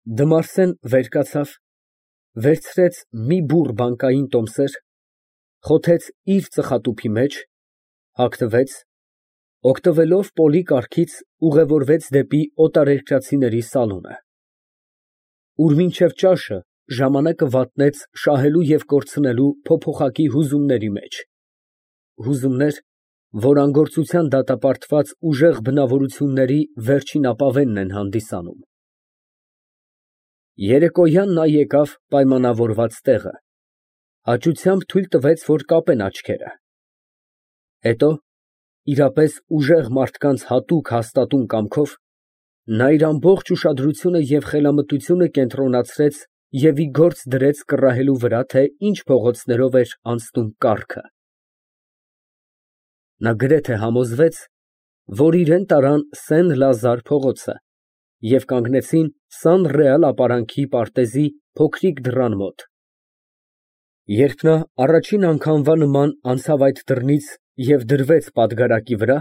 Դմարսեն վեր կացավ, վերցրեց մի բուռ բանկային տոմսեր, խոթեց իր ծխատուփի մեջ, հագնվեց, օգտվելով Պոլի կառքից, ուղևորվեց դեպի օտարերկրացիների սալոնը, ուր մինչև ճաշը ժամանակը վատնեց շահելու և կորցնելու փոփոխակի հուզումների մեջ, հուզումներ, որ անգործության դատապարտված ուժեղ բնավորությունների վերջին ապավենն են հանդիսանում։ Երեկոյան նա եկավ պայմանավորված տեղը, հաճությամբ թույլ տվեց, որ կապեն աչքերը, հետո, իրապես ուժեղ մարդկանց հատուկ հաստատուն կամքով, նա իր ամբողջ ուշադրությունը և խելամտությունը կենտրոնացրեց և ի գործ դրեց կռահելու վրա, թե ինչ փողոցներով էր անցնում կառքը։ Նա գրեթե համոզվեց, որ իրան տարան Սեն֊Լազար փողոցը և կանգնեցին Սան Ռեալ ապարանքի պարտեզի փոքրիկ դռան մոտ։ Երբ նա առաջին անգամվա նման անցավ այդ դռնից և դրվեց պատգարակի վրա,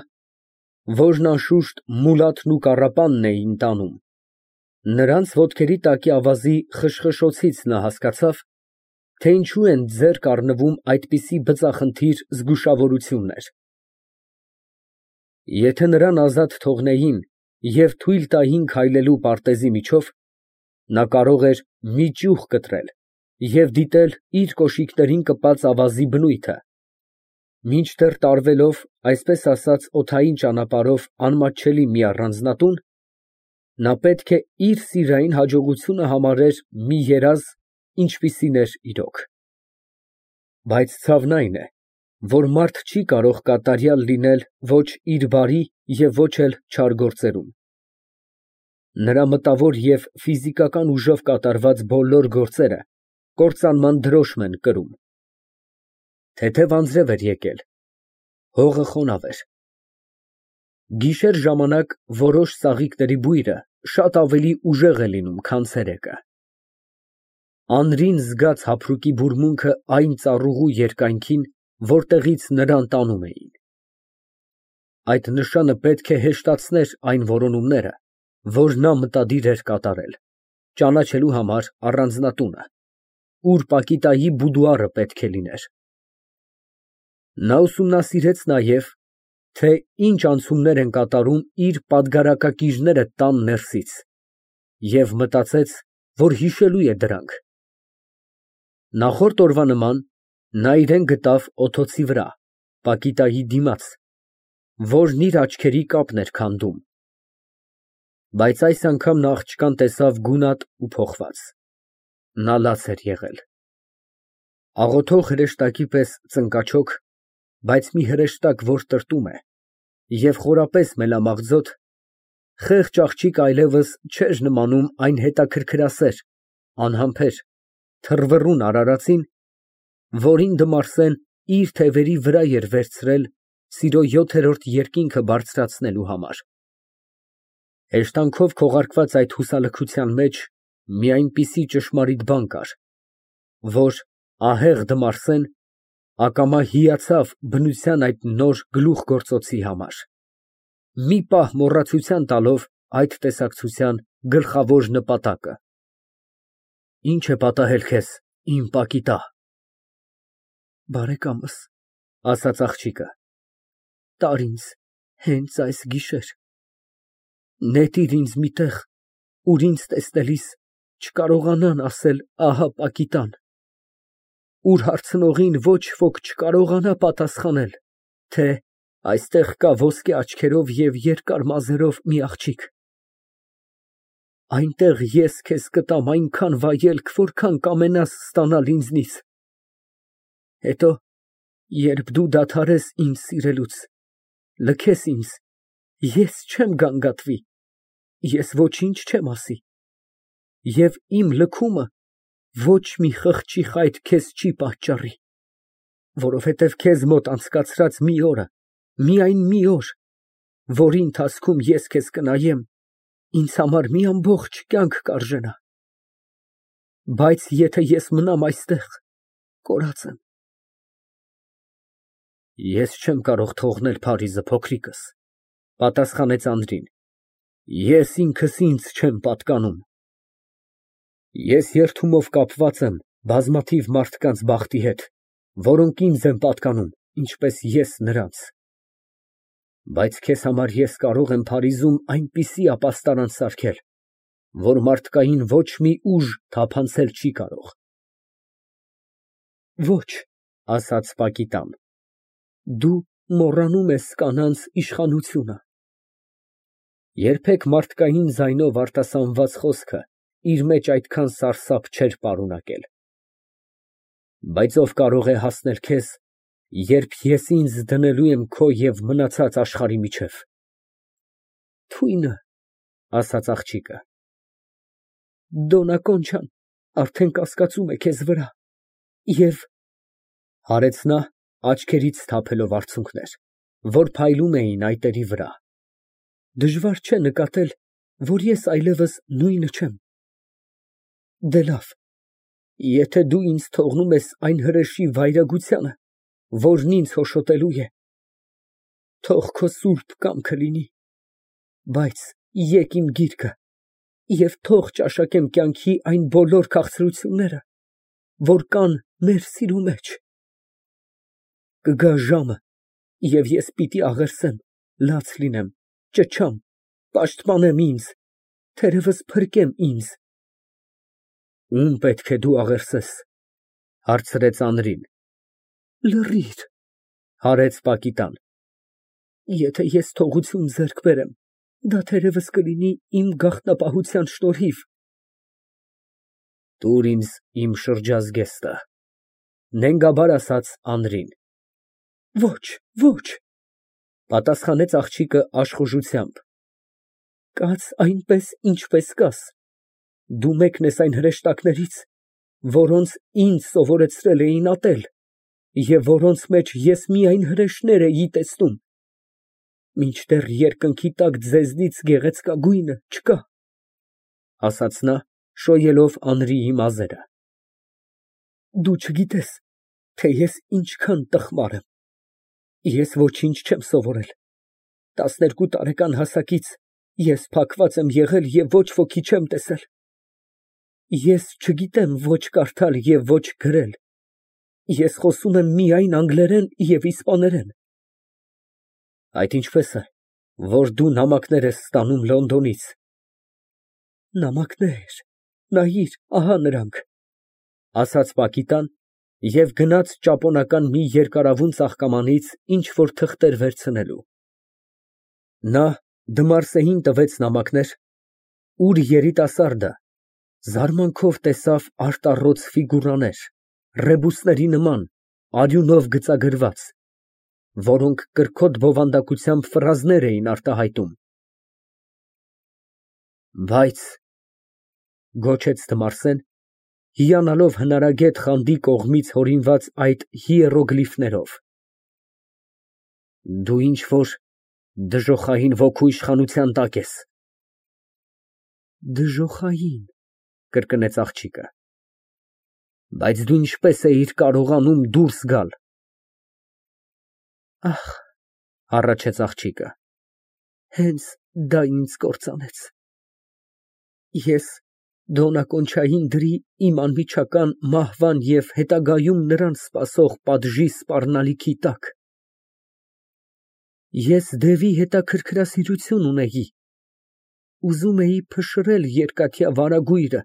որն անշուշտ Մուլաթն ու կառապանն էին տանում, նրանց ոտքերի տակի ավազի խշխշոցից նա հասկացավ, թե ինչու են ձեռք առնվում այդպիսի բծախնդիր զգուշավորություններ։ Եթե նրան ազատ թողնեին և թույլ տային քայլելու պարտեզի միջով, նա կարող էր մի ճյուղ կտրել և դիտել իր կոշիկներին կպած ավազի բնույթը, մինչդեռ տարվելով, այսպես ասած, օդային ճանապարհով անմատչելի մի առանձնատուն, նա պետք է իր սիրային հաջողությունը համարեր մի երազ, ինչպիսին էր իրոք։ Բայց ցավն այն է, որ մարդ չի կարող կատարյալ լինել ոչ իր բարի և ոչ էլ չար գործերում։ Նրա մտավոր և ֆիզիկական ուժով կատարված բոլոր գործերը կործանման դրոշմ են կրում։ Թեթև անձրև էր եկել, հողը խոնավ էր։ Գիշեր ժամանակ որոշ ծաղիկների բույրը շատ ավելի ուժեղ է լինում, քան ցերեկը։ Անրին զգաց հափրուկի բուրմունքը այն ծառուղու երկայնքին, որտեղից նրան տանում էին։ Այդ նշանը պետք է հեշտացներ այն որոնումները, որ նա մտադիր էր կատարել, ճանաչելու համար առանձնատունը, ուր Պակիտայի բուդուարը պետք է լիներ։ Նա ուսումնասիրեց նաև, թե ինչ անցումներ են կատարում իր պատգարակակիրները տան ներսից և մտածեց, որ հիշելու է դրանք։ Նախորդ օրվա նման նա իրան գտավ օդոցի վրա, Պակիտայի դիմաց, որն իր աչքերի կապն էր քանդում, բայց այս անգամ նա աղջկան տեսավ գունատ ու փոխված։ Նա լաց էր եղել։ Աղոթող հրեշտակի պես ծնկաչոք, բայց մի հրեշտակ, որ տրտում է, և խորապես մելամաղձոտ, խեղճ աղջիկ այլևս չէր նմանում այն հետաքրքրասեր, անհամբեր, թռվռուն արարածին, որին Դմարսեն իր թևերի վրա էր վերցրել սիրո յոթերորդ երկինքը բարձրացնելու համար։ Հեշտանքով քողարկված այդ հուսալքության մեջ մի այնպիսի ճշմարիտ բան կար, որ ահեղ Դմարսեն ակամա հիացավ բնության այդ նոր գլուխգործոցի համար, մի պահ մոռացության տալով այդ տեսակցության գլխավոր նպատակը։ Ի՞նչ է պատահել քեզ, իմ Պակիտա։ Բարեկամս, ասաց աղջիկը, տար ինձ հենց այս գիշեր, նետիր ինձ մի տեղ, ուր ինձ տեսնելիս չկարողանան ասել ահա Պակիտան, ուր հարցնողին ոչ ոք չկարողանա պատասխանել, թե այստեղ կա ոսկե աչքերով և երկար մազերով մի աղջիկ։ Այնտեղ ես քեզ կտամ այնքան վայելք, որքան կամենաս ստանալ ինձնից։ Հետո, երբ դու դադարես ինձ սիրելուց, լքես ինձ, ես չեմ գանգատվի, ես ոչինչ չեմ ասի, և իմ լքումը ոչ մի խղճի խայտ քեզ չի պատճառի, որովհետև քեզ մոտ անցկացրած մի օրը, միայն մի օր, որի ընթացքում ես քեզ կնայեմ, ինձ համար մի ամբողջ կյանք կարժենա։ Բայց եթե ես մնամ այստեղ, կորած եմ։ Ես չեմ կարող թողնել Փարիզը, փոքրիկս, պատասխանեց Անդրին, ես ինքս ինձ չեմ պատկանում։ Ես երդումով կապված եմ բազմաթիվ մարդկանց բախտի հետ, որոնք ինձ են պատկանում, ինչպես ես նրանց, բայց քեզ համար ես կարող եմ Փարիզում այնպիսի ապաստարան սարքել, որ մարդկային ոչ մի ուժ թափանցել չի կարող։ Ոչ, ասաց Պակիտան, դու մոռանում ես կանանց իշխանությունը։ Երբեք մարդկային ձայնով արտասանված խոսքը իր մեջ այդքան սարսափ չէր պարունակել։ Բայց ով կարող է հասնել քեզ, երբ ես ինձ դնելու եմ քո և մնացած աշխարհի միջև։ Թույնը, ասաց աղջիկը, Դոննա Կոնչան արդեն կասկածում է քեզ վրա և… Հարեց նա, աչքերից թափելով արցունքներ, որ փայլում էին այտերի վրա։ Դժվար չէ նկատել, որ ես այլևս նույնը չեմ։ Դե լավ, եթե դու ինձ թողնում ես այն հրեշի վայրագությանը, որն ինձ հոշոտելու է, թող քո սուրբ կամքը լինի, բայց եկ իմ գիրկը և թող ճաշակեմ կյանքի այն բոլոր քաղցրությունները, որ կան մեր սիրո մեջ։ Կգա ժամը, և ես պիտի աղերսեմ, լաց լինեմ, ճչամ, պաշտպանեմ ինձ, թերևս փրկեմ ինձ։ Ում պետք է դու աղերսես, հարցրեց Անրին։ Լռիր, հարեց Պակիտան։ Եթե ես թողություն ձեռք բերեմ, դա թերևս կլինի իմ գաղտնապահության շնորհիվ։ Տուր ինձ իմ շրջազգեստը, նենգաբար ասաց Անրին։ Ոչ, ոչ, պատասխանեց աղջիկը աշխուժությամբ։ Կաց այնպես, ինչպես կաս, դու մեկն ես այն հրեշտակներից, որոնց ինձ սովորեցրել էին ատել, և որոնց մեջ ես միայն հրեշներ էի տեսնում, մինչդեռ երկնքի տակ ձեզնից գեղեցկագույնը չկա, ասաց նա, շոյելով Անրիի մազերը։ Դու չգիտես, թե ես ինչքան տխմար եմ։ Ես ոչինչ չեմ սովորել, 12 տարեկան հասակից ես փակված եմ եղել և ոչ ոքի չեմ տեսել։ Ես չգիտեմ ոչ կարդալ և ոչ գրել, ես խոսում եմ միայն անգլերեն և իսպաներեն։ Այդ ինչպե՞ս է, որ դու նամակներ ես ստանում Լոնդոնից։ Նամակներ, նայիր, ահա նրանք, ասաց Պակիտան և գնաց ճապոնական մի երկարավուն ծաղկամանից ինչ֊որ թղթեր վերցնելու։ Նա Դմարսեին տվեց նամակներ, ուր երիտասարդը զարմանքով տեսավ արտառոց ֆիգուրաներ, ռեբուսների նման, արյունով գծագրված, որոնք կրքոտ բովանդակությամբ ֆրազներ էին արտահայտում։ Բայց… գոչեց Դմարսեն, հիանալով հնարագետ Խանդի կողմից հորինված այդ հիերոգլիֆներով, դու ինչ֊որ դժոխային ոգու իշխանության տակ ես։ Դժոխային… կրկնեց աղջիկը։ Բայց դու ինչպես էիր կարողանում դուրս գալ։ Ահ… հառաչեց աղջիկը, հենց դա ինձ կործանեց։ Ես Դոննա Կոնչային դրի իմ անմիջական մահվան և հետագայում նրան սպասող պատժի սպառնալիքի տակ։ Ես դևի հետաքրքրասիրություն ունեի, ուզում էի փշրել երկաթյա վարագույրը,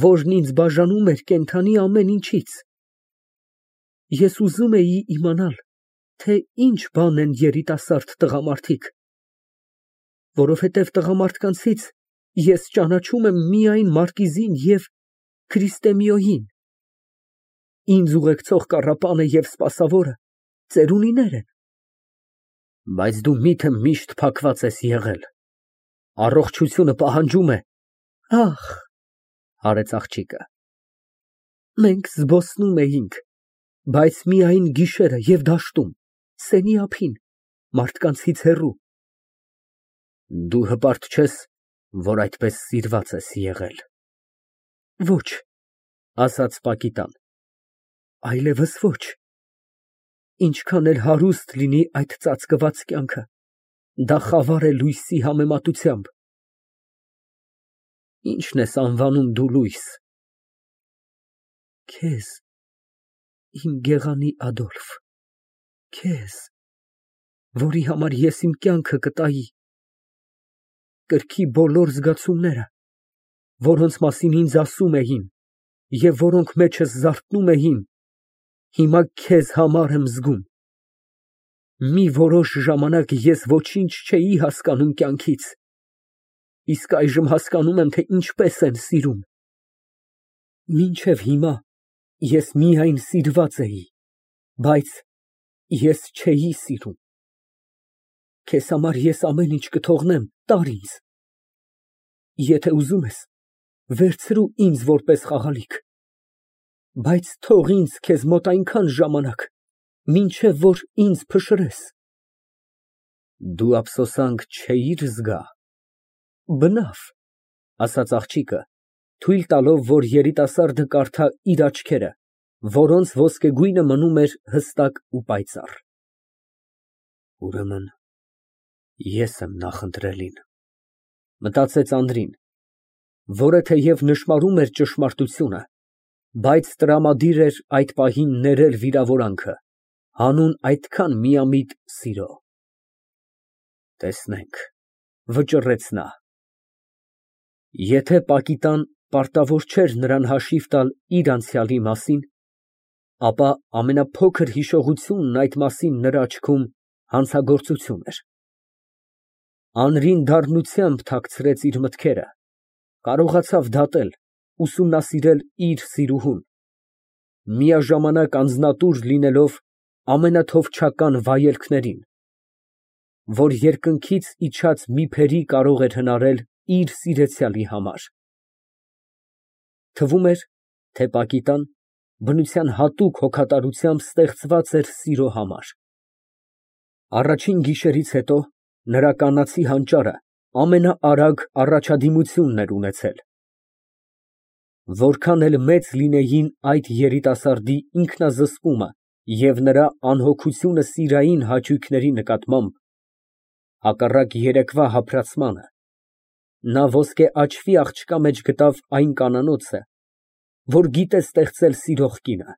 որն ինձ բաժանում էր կենդանի ամեն ինչից։ Ես ուզում էի իմանալ, թե ինչ բան են երիտասարդ տղամարդիկ, որովհետև տղամարդկանցից ես ճանաչում եմ միայն մարկիզին և Քրիստեմիոյին, ինձ ուղեկցող կառապանը և սպասավորը ծերունիներ են։ Բայց դու մի՞թե միշտ փակված ես եղել, առողջությունը պահանջում է… Ախ… հարեց աղջիկը, մենք զբոսնում էինք, բայց միայն գիշերը և դաշտում, սենի ափին, մարդկանցից հեռու։ Դու հպարտ չես, որ այդպես սիրված ես եղել։ Ոչ, ասաց Պակիտան, այլևս ոչ։ Ինչքան էլ հարուստ լինի այդ ծածկված կյանքը, դա խավար է լույսի համեմատությամբ։ Ի՞նչն ես անվանում դու լույս։ Քեզ, իմ գեղանի Ադոլֆ, քեզ, որի համար ես իմ կյանքը կտայի, կրքի բոլոր զգացումները, որոնց մասին ինձ ասում էին և որոնք մեջս զարթնում էին, հիմա քեզ համար եմ զգում։ Մի որոշ ժամանակ ես ոչինչ չէի հասկանում կյանքից, իսկ այժմ հասկանում եմ, թե ինչպես են սիրում։ Մինչև հիմա ես միայն սիրված էի, բայց ես չէի սիրում։ Քեզ համար ես ամեն ինչ կթողնեմ, տար ինձ։ Եթե ուզում ես, վերցրու ինձ որպես խաղալիք, բայց թող ինձ քեզ մոտ այնքան ժամանակ, մինչև որ ինձ փշրես։ Դու ափսոսանք չէիր զգա։ Բնավ, ասաց աղջիկը, թույլ տալով, որ երիտասարդը կարդա իր աչքերը, որոնց ոսկեգույնը մնում էր հստակ ու պայծառ։ Ուրեմն ես եմ նախընտրելին, մտածեց Անդրին, որը թեև նշմարում էր ճշմարտությունը, բայց տրամադիր էր այդ պահին ներել վիրավորանքը, հանուն այդքան միամիտ սիրո։ Տեսնենք, վճռեց նա։ Եթե Պակիտան պարտավոր չէր նրան հաշիվ տալ իր անցյալի մասին, ապա ամենափոքր հիշողությունն այդ մասին նրա աչքում հանցագործություն էր։ Անրին դառնությամբ թաքցրեց իր մտքերը, կարողացավ դատել, ուսումնասիրել իր սիրուհուն, միաժամանակ անձնատուր լինելով ամենաթովչական վայելքներին, որ երկնքից իջած մի փերի կարող էր հնարել իր սիրեցյալի համար։ Թվում էր, թե Պակիտան բնության հատուկ հոգատարությամբ ստեղծված էր սիրո համար։ Առաջին գիշերից հետո նրա կանացի հանճարը ամենաարագ առաջադիմությունն էր ունեցել։ Որքան էլ մեծ լինեին այդ երիտասարդի ինքնազսպումը և նրա անհոգությունը սիրային հաճույքների նկատմամբ, հակառակ երեկվա հափրացմանը, նա ոսկե աչքի աղջկա մեջ գտավ այն կանանոցը, որ գիտե ստեղծել սիրող կինը,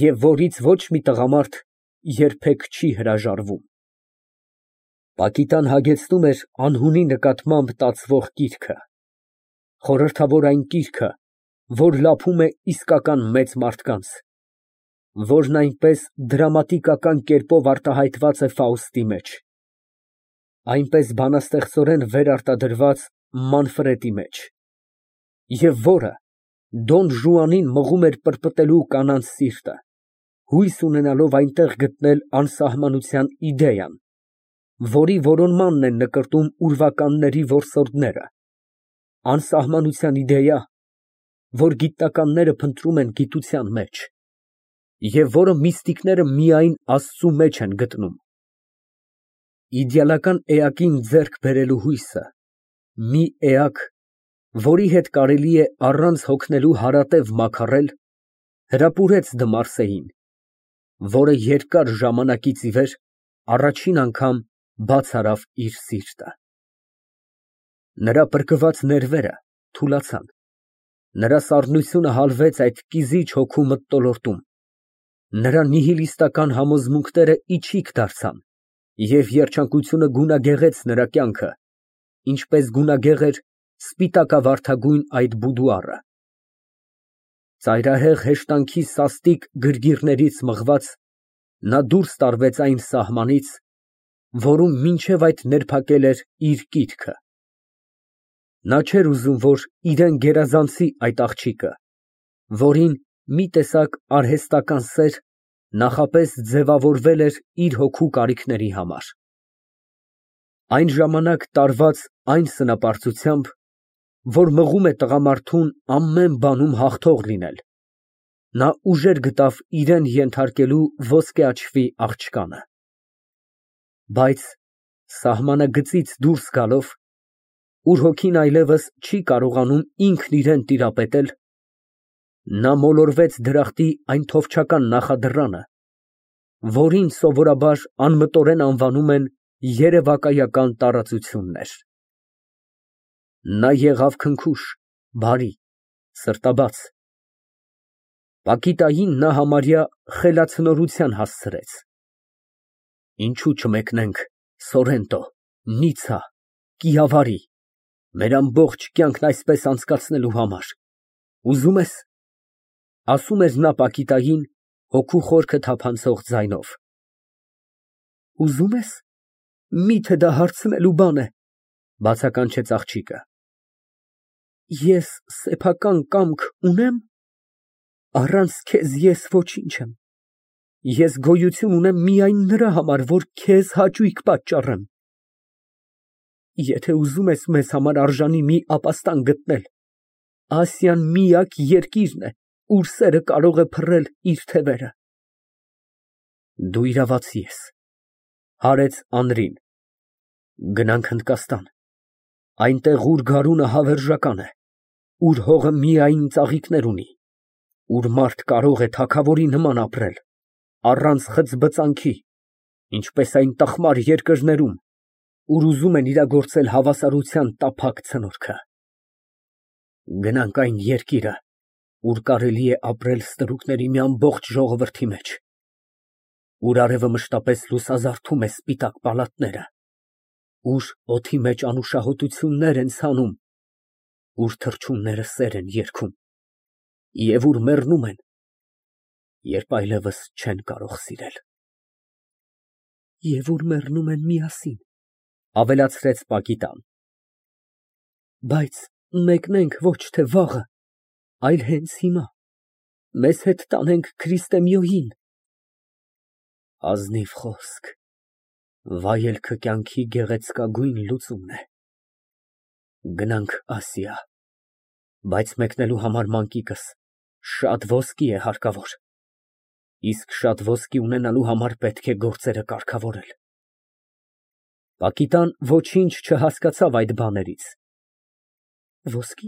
և որից ոչ մի տղամարդ երբեք չի հրաժարվում։ Պակիտան հագեցնում էր անհունի նկատմամբ տածվող կիրքը, խորհրդավոր այն կիրքը, որ լափում է իսկական մեծ մարդկանց, որն այնպես դրամատիկական կերպով արտահայտված է Ֆաուստի մեջ, այնպես բանաստեղծորեն վերարտադրված Մանֆրետի մեջ, և որը Դոն Ժուանին մղում էր պրպտելու կանանց սիրտը, հույս ունենալով այնտեղ գտնել անսահմանության իդեան, որի որոնմանն են նկրտում ուրվականների որսորդները, անսահմանության իդեա, որ գիտնականները փնտրում են գիտության մեջ, և որը միստիկները միայն Աստծու մեջ են գտնում։ Իդեալական էակին ձեռք բերելու հույսը, մի էակ, որի հետ կարելի է առանց հոգնելու հարատև մաքարել, հրապուրեց Դմարսեին, որը երկար ժամանակից ի վեր առաջին անգամ բաց արավ իր սիրտը։ Նրա պրկված ներվերը թուլացան, նրա սառնությունը հալվեց այդ կիզիչ հոգու մթնոլորտում, նրա նիհիլիստական համոզմունքները իչիք դարձան, և երջանկությունը գունագեղեց նրա կյանքը, ինչպես գունագեղ էր սպիտակավարդագույն այդ բուդուարը։ Ծայրահեղ հեշտանքի սաստիկ գրգիռներից մղված, նա դուրս տարվեց այն սահմանից, որում մինչև այդ ներփակել էր իր կիրքը։ Նա չէր ուզում, որ իրան գերազանցի այդ աղջիկը, որին մի տեսակ արհեստական սեր նախապես ձևավորվել էր իր հոգու կարիքների համար։ Այն ժամանակ տարված այն սնապարծությամբ, որ մղում է տղամարդուն ամեն բանում հաղթող լինել, նա ուժեր գտավ իրան ենթարկելու ոսկե աչքի աղջկանը։ Բայց սահմանագծից դուրս գալով, ուր հոգին այլևս չի կարողանում ինքն իրան տիրապետել, նա մոլորվեց դրախտի այն թովչական նախադռանը, որին սովորաբար անմտորեն անվանում են երևակայական տարածություններ։ Նա եղավ քնքուշ, բարի, սրտաբաց։ Պակիտային նա համարյա խելացնորության հասցրեց։ Ինչու չմեկնենք Սորենտո, Նիցա, Կիավարի, մեր ամբողջ կյանքն այսպես անցկացնելու համար, ուզում ես, ասում էր նա Պակիտային հոգու խորքը թափանցող ձայնով, ուզում ես, միթե դա հարցնելու բան է, բացականչեց աղջիկը, ես սեփական կամք ունե՞մ, առանց քեզ ես ոչինչ եմ, ես գոյություն ունեմ միայն նրա համար, որ քեզ հաճույք պատճառեմ, եթե ուզում ես մեզ համար արժանի մի ապաստան գտնել, Ասիան միակ երկիրն է, ուր սերը կարող է փռել իր թևերը։ Դու իրավացի ես, հարեց Անրին, գնանք Հնդկաստան, այնտեղ ուր գարունը հավերժական է, ուր հողը միայն ծաղիկներ ունի, ուր մարդ կարող է թագավորի նման ապրել, առանց խծբծանքի, ինչպես այն տխմար երկրներում, ուր ուզում են իրագործել հավասարության տափակ ցնորքը։ Գնանք այն երկիրը, ուր կարելի է ապրել ստրուկների մի ամբողջ ժողովրդի մեջ, ուր արևը մշտապես լուսազարդում է սպիտակ պալատները, ուր օդի մեջ անուշահոտություններ են ցանում, ուր թռչունները սեր են երգում, և ուր մեռնում են, երբ այլևս չեն կարող սիրել։ Եվ ուր մեռնում են միասին, ավելացրեց Պակիտան։ Բայց մեկնենք ոչ թե վաղը, այլ հենց հիմա, մեզ հետ տանենք Քրիստեմիոյին։ Ազնիվ խոսք, վայելքը կյանքի գեղեցկագույն լուծումն է։ Գնանք Ասիա, բայց մեկնելու համար մանկիկս շատ ոսկի է հարկավոր, իսկ շատ ոսկի ունենալու համար պետք է գործերը կարգավորել։ Պակիտան ոչինչ չհասկացավ այդ բաներից։ Ոսկի,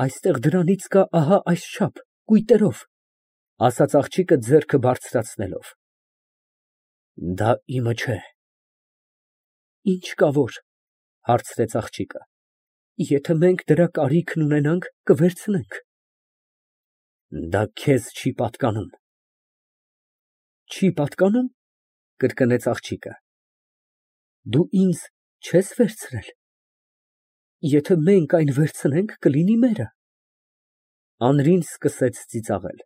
այստեղ դրանից կա ահա այսչափ, կույտերով, ասաց աղջիկը ձեռքը բարձրացնելով։ Դա իմը չէ։ Ինչ կա որ, հարցրեց աղջիկը, եթե մենք դրա կարիքն ունենանք, կվերցնենք։ Դա քեզ չի պատկանում։ Չի պատկանում, կրկնեց աղջիկը։ Դու ինձ չես վերցրել։ Եթե մենք այն վերցնենք, կլինի մերը։ Անրին սկսեց ծիծաղել։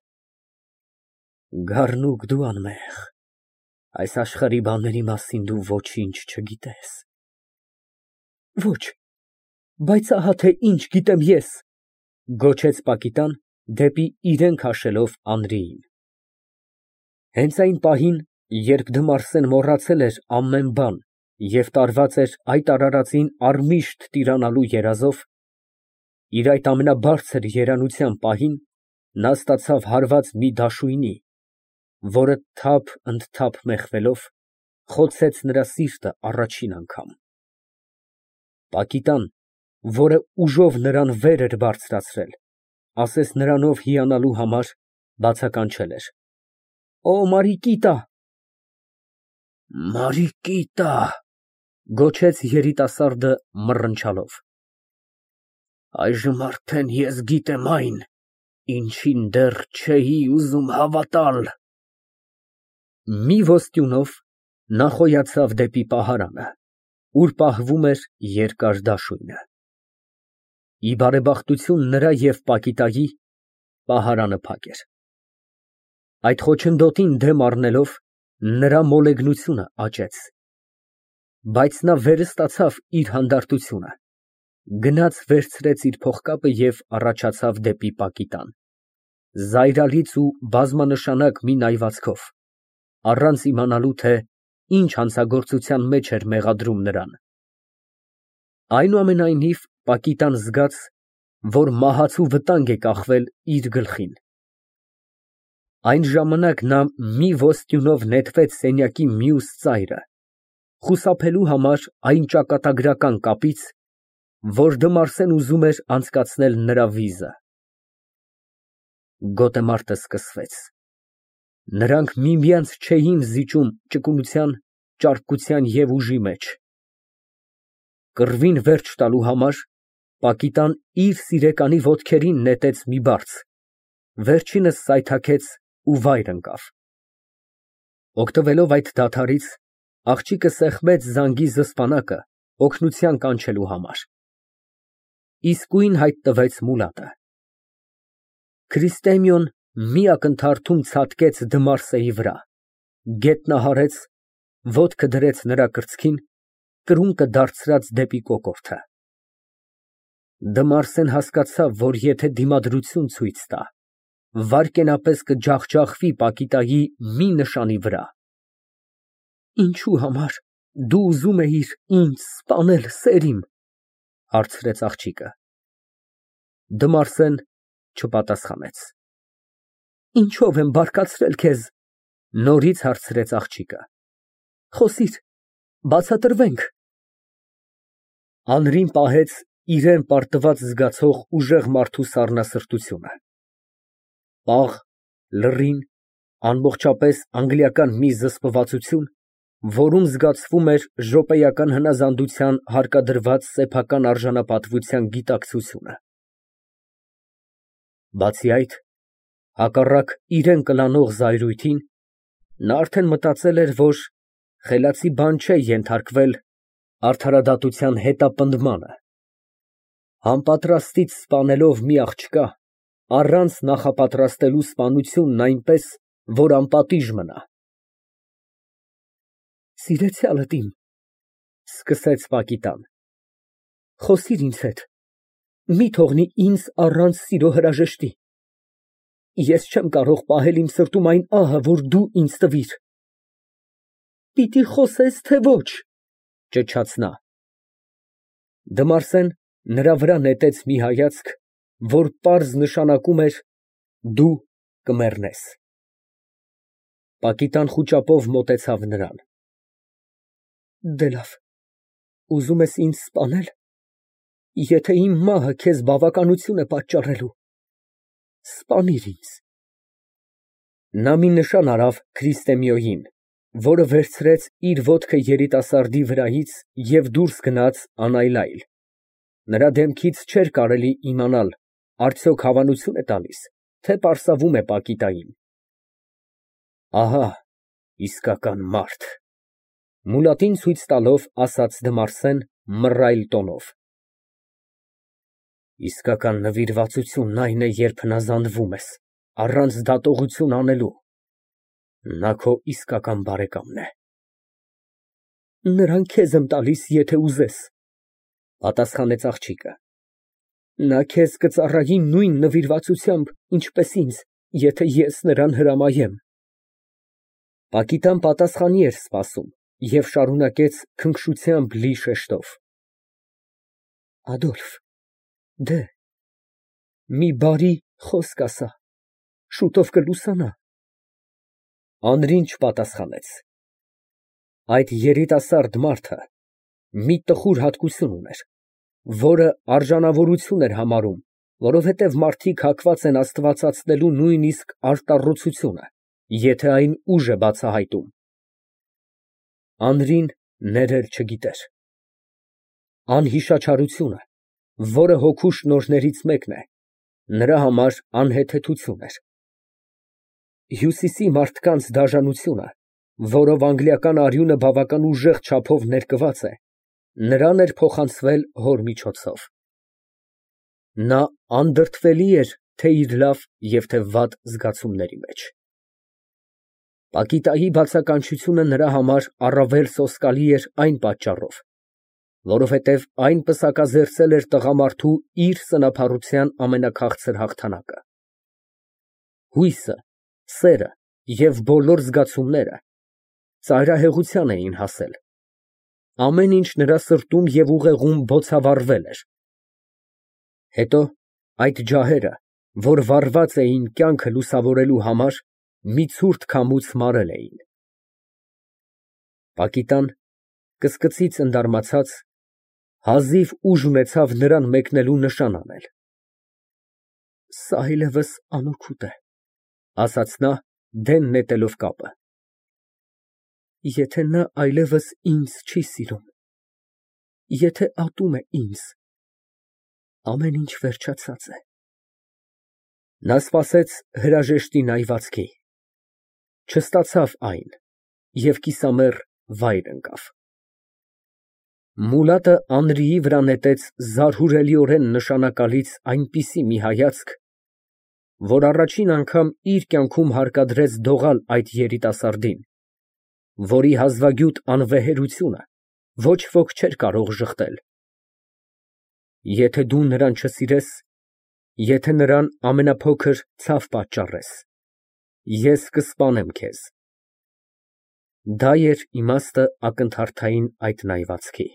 Գառնուկ դու անմեղ, այս աշխարհի բաների մասին դու ոչինչ չգիտես։ Ոչ, բայց ահա թե ինչ գիտեմ ես, գոչեց Պակիտան, դեպի իրեն քաշելով Անրիին։ Հենց այն պահին, երբ Դմարսեն մոռացել էր ամեն բան և տարված էր այդ արարածին առմիշտ տիրանալու երազով, իր այդ ամենաբարձր երանության պահին, նա ստացավ հարված մի դաշույնի, որը թափ մեղվելով, խոցեց նրա սիրտը առաջին անգամ։ Պակիտան, որը ուժով նրան վեր էր բարձրացրել, ասես նրանով հիանալու համար, բացականչել էր. Օ, Մարիկիտա։ Մարիկիտա, գոչեց երիտասարդը մռնչալով։ Այժմ արդեն ես գիտեմ այն, ինչին դեռ չէի ուզում հավատալ։ Մի ոստյունով նա խոյացավ դեպի պահարանը, ուր պահվում էր երկար դաշույնը։ Ի բարեբախտություն նրա և Պակիտայի, պահարանը փակ էր։ Այդ խոչընդոտին դեմ առնելով, նրա մոլեգնությունը աճեց։ Բայց նա վերը ստացավ իր հանդարտությունը, գնաց վերցրեց իր փողկապը և առաջացավ դեպի Պակիտան, զայրալից ու բազմանշանակ մի նայվածքով, առանց իմանալու, թե ինչ հանցագործության մեջ էր մեղադրում նրան։ Այնուամենայնիվ Պակիտան զգաց, որ մահացու վտանգ է կախվել իր գլխին։ Այն ժամանակ նա մի ոստյունով նետվեց սենյակի մյուս ծայրը, խուսափելու համար այն ճակատագրական կապից, որ Դմարսեն ուզում էր անցկացնել նրա վիզը։ Գոտեմարտը սկսվեց։ Նրանք միմյանց չէին զիջում ճկունության, ճարպկության և ուժի մեջ։ Կռվին վերջ տալու համար Պակիտան իր սիրեկանի ոտքերին նետեց մի բարձ, վերջինս սայթաքեց ու վայր ընկավ։ Օգտվելով այդ դադարից, աղջիկը սեղմեց զանգի զսպանակը օգնության կանչելու համար։ Իսկույն հայտնվեց Մուլադը։ Քրիստեմիոն մի ակնթարթում ցատկեց Դմարսեի վրա, գետնահարեց, ոտքը դրեց նրա կրծքին, կրունկը դարձրած դեպի կոկորդը։ Դմարսեն հասկացավ, որ եթե դիմադրություն ցույց տա, վայրկենապես կջախջախվի Պակիտայի մի նշանի վրա։ Ինչու համար դու ուզում էիր ինձ սպանել, սերիմ, հարցրեց աղջիկը։ Դմարսեն չպատասխանեց։ Ինչով եմ բարկացրել քեզ, նորից հարցրեց աղջիկը։ Խոսիր, բացատրվենք։ Անրին պահեց իրեն պարտված զգացող ուժեղ մարդու սառնասրտությունը։ Պաղ, լռին, ամբողջապես անգլիական մի զսպվածություն, որում զգացվում էր րոպեական հնազանդության հարկադրված սեփական արժանապատվության գիտակցությունը։ Բացի այդ, հակառակ իրան կլանող զայրույթին, նա արդեն մտածել էր, որ խելացի բան չէ ենթարկվել արդարադատության հետապնդմանը։ Անպատրաստից սպանելով մի աղջկա, առանց նախապատրաստելու սպանությունն այնպես, որ անպատիժ մնա։ Սիրեցյալդ իմ, սկսեց Պակիտան, խոսիր ինձ հետ, մի թողնի ինձ առանց սիրո հրաժեշտի։ Ես չեմ կարող պահել իմ սրտում այն ահը, որ դու ինձ տվիր։ Պիտի խոսես, թե ոչ, ճչաց նա։ Դմարսեն նրա վրա նետեց մի հայացք, որ պարզ նշանակում էր դու կմեռնես։ Պակիտան խուճապով մոտեցավ նրան։ Դե լավ, ուզում ես ինձ սպանել, եթե իմ մահը քեզ բավականություն է պատճառելու, սպանիր ինձ։ Նա մի նշան արավ Քրիստեմիոյին, որը վերցրեց իր ոտքը երիտասարդի վրայից և դուրս գնաց անայլայլ։ Նրա դեմքից չէր կարելի իմանալ արդյոք հավանություն է տալիս, թե պարսավում է Պակիտային։ Ահա իսկական մարդ, մուլատին ցույց տալով ասաց Դմարսեն մռայլ տոնով։ Իսկական նվիրվածությունն այն է, երբ հնազանդվում ես, առանց դատողություն անելու։ Նա քո իսկական բարեկամն է։ Նրան քեզ եմ տալիս, եթե ուզես, պատասխանեց աղջիկը։ Նա քեզ կծառայի նույն նվիրվածությամբ, ինչպես ինձ, եթե ես նրան հրամայեմ։ Պակիտան պատասխանի էր սպասում և շարունակեց քնքշությամբ լի շեշտով. Ադոլֆ, դե, մի բարի խոսք ասա, շուտով կլուսանա։ Անրին չպատասխանեց։ Այդ երիտասարդ մարդը մի տխուր հատկություն ուներ, որը արժանավորություն էր համարում, որովհետև մարդիկ հակված են աստվածացնելու նույնիսկ արտառոցությունը, եթե այն ուժ է բացահայտում։ Անրին ներել չգիտեր։ Անհիշաչարությունը, որը հոգու շնորհներից մեկն է, նրա համար անհեթեթություն էր։ Հյուսիսի մարդկանց դաժանությունը, որով անգլիական արյունը բավական ուժեղ չափով ներկված է, նրան էր փոխանցվել հոր միջոցով։ Նա անդրդվելի էր թե իր լավ և թե վատ զգացումների մեջ։ Պակիտայի բացականչությունը նրա համար առավել սոսկալի էր այն պատճառով, որովհետև այն պսակազերծել էր տղամարդու իր սնափառության ամենաքաղցր հաղթանակը։ Հույսը, սերը և բոլոր զգացումները ծայրահեղության էին հասել։ Ամեն ինչ նրա սրտում և ուղեղում բոցավառվել էր։ Հետո այդ ջահերը, որ վառված էին կյանքը լուսավորելու համար, մի ցուրտ քամուց մարել էին։ Պակիտան կսկծից ընդարմացած հազիվ ուժ ունեցավ նրան մեկնելու նշան անել։ Սա այլևս անօգուտ է, ասաց նա, դեն նետելով կապը։ Եթե նա այլևս ինձ չի սիրում, եթե ատում է ինձ, Ամեն ինչ վերջացած է։ Նա սպասեց հրաժեշտի նայվածքի, չստացավ այն և կիսամեռ վայր ընկավ։ Մուլատը Անրիի վրա նետեց զարհուրելիորեն նշանակալից այնպիսի մի հայացք, որ առաջին անգամ իր կյանքում հարկադրեց դողալ այդ երիտասարդին, որի հազվագյուտ անվեհերությունը ոչ ոք չէր կարող ժխտել։ Եթե դու նրան չսիրես, եթե նրան ամենափոքր ցավ պատճառես, ես կսպանեմ քեզ։ Դա էր իմաստը ակնթարթային այդ նայվածքի։